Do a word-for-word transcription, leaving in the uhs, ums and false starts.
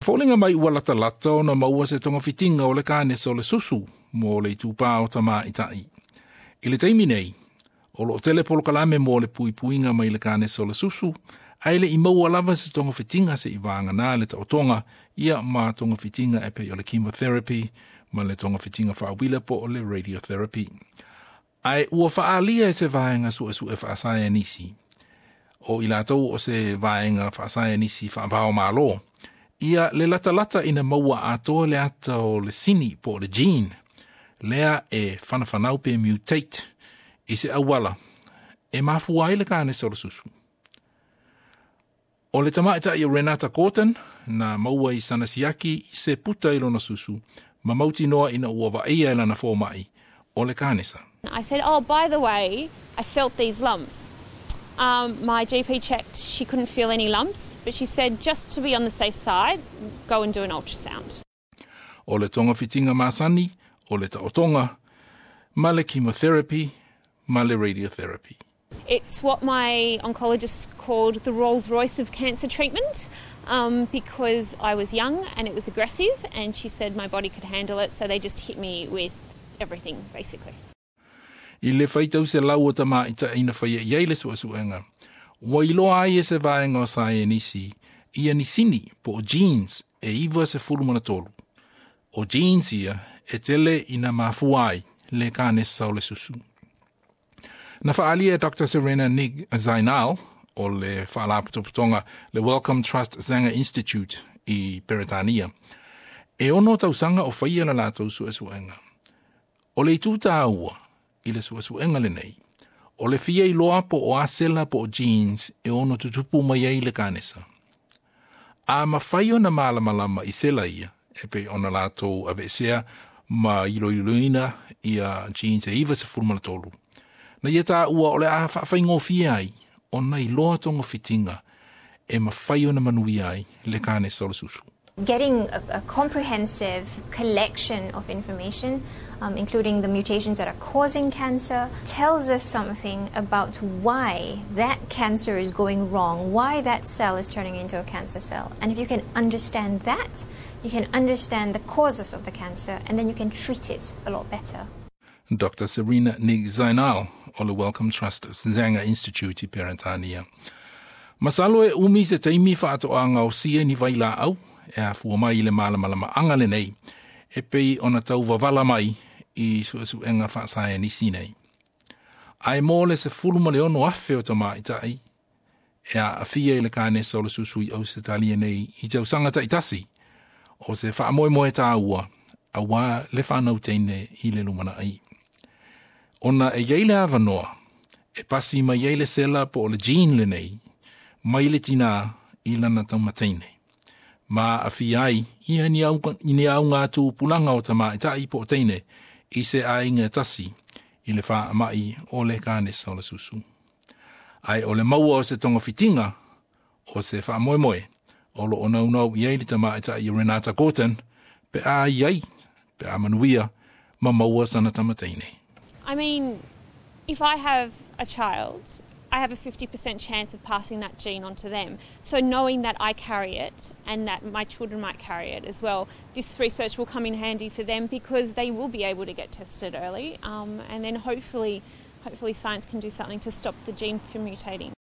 Foliga mai ua latalata ona maua se togafitiga o le kanesa o le susu mo le itupā o tamaʻitaʻi. I le taimi nei, o loo tele polokalame mo le puipuiga mai le kanesa o le susu, ae leʻi maua lava se togafitiga seʻi vagana le taotoga ia ma togafitiga e pei o le chemotherapy ma le togafitiga faauila po o le radiotherapy. Ae ua faaalia e se vaega suesue faasaienisi o i latou o se vaega faasaienisi faavaomālō ia le latalata ina maua atoa le ata o le sini po o le gene lea e whanawhanau pe mutate i se auala e mafua ai le kanesa o le susu. O le tamaʻitaʻi o Renata Gorton na maua i sana siaki i se puta i lona susu ma mautinoa ina ua vaaia e lana fomaʻi o le kanesa. I said, oh, by the way, I felt these lumps. Um, my G P checked, she couldn't feel any lumps, but she said just to be on the safe side, go and do an ultrasound. O le togafitiga masani, o le taotoga, ma le chemotherapy, ma le radiotherapy. It's what my oncologist called the Rolls Royce of cancer treatment um, because I was young and it was aggressive, and she said my body could handle it, so they just hit me with everything, basically. I le faitau selau o tamaʻitaʻi na faia i ai le suʻesuʻega, ua iloa ai e se vaega o saienisi ia ni sini po o genes e iva sefulu ma le tolu. O genes ia e tele ina mafua ai le kanesa o le susu. Na faaalia e Doctor Serena Nik Zainal o le faalapotopotoga le Wellcome Trust Sanger Institute i Peretania. E ono tausaga o faia la latou suʻesuʻega. O le itu tāua i le suʻesuʻega lenei, o le fia iloa po o a sela po o genes e ono tutupu mai ai le kanesa. A mafai ona malamalama i sela ia, e pei ona latou aveesea ma iloiloina ia genes e iva sefulu ma le tolu. Na ia taua o le a faafaigofie ai, ona iloa togafitiga e mafai ona manuia ai le kanesa o le susu. Getting a, a comprehensive collection of information, um, including the mutations that are causing cancer, tells us something about why that cancer is going wrong, why that cell is turning into a cancer cell. And if you can understand that, you can understand the causes of the cancer and then you can treat it a lot better. Doctor Serena Nik Zainal o le Wellcome Trust Sanger Institute i Peretania. Masalo e umi se taimi faatoa gaosia ni vailaau e afua mai i le malamalamaaga lenei e pei ona tau vavala mai i suʻesuʻega faasaienisi nei. Ae mo le sefulu ma le ono afe o tamaʻitaʻi e aafia i le kanesa o le susu i Ausetalia nei i tausaga taʻitasi, o se faamoemoe tāua auā le fanau teine i le lumanaʻi. Ona e iai le avanoa e pasi mai ai le sela po o le gene lenei mai le tinā i lana taumateine. Ma aafia ai ia ni au, ni auga tupulaga o tamaʻitaʻi po o teine i se aiga tasi i le faamaʻi o le kanesa o le susu. Ae o le maua o se togafitiga o se faamoemoe o loo naunau i ai le tamaʻitaʻi o Renata Gorton pe a i ai pe a manuia ma maua sana tamateine. I mean, if I have a child, I have a fifty percent chance of passing that gene on to them. So knowing that I carry it and that my children might carry it as well, this research will come in handy for them because they will be able to get tested early, um, and then hopefully, hopefully science can do something to stop the gene from mutating.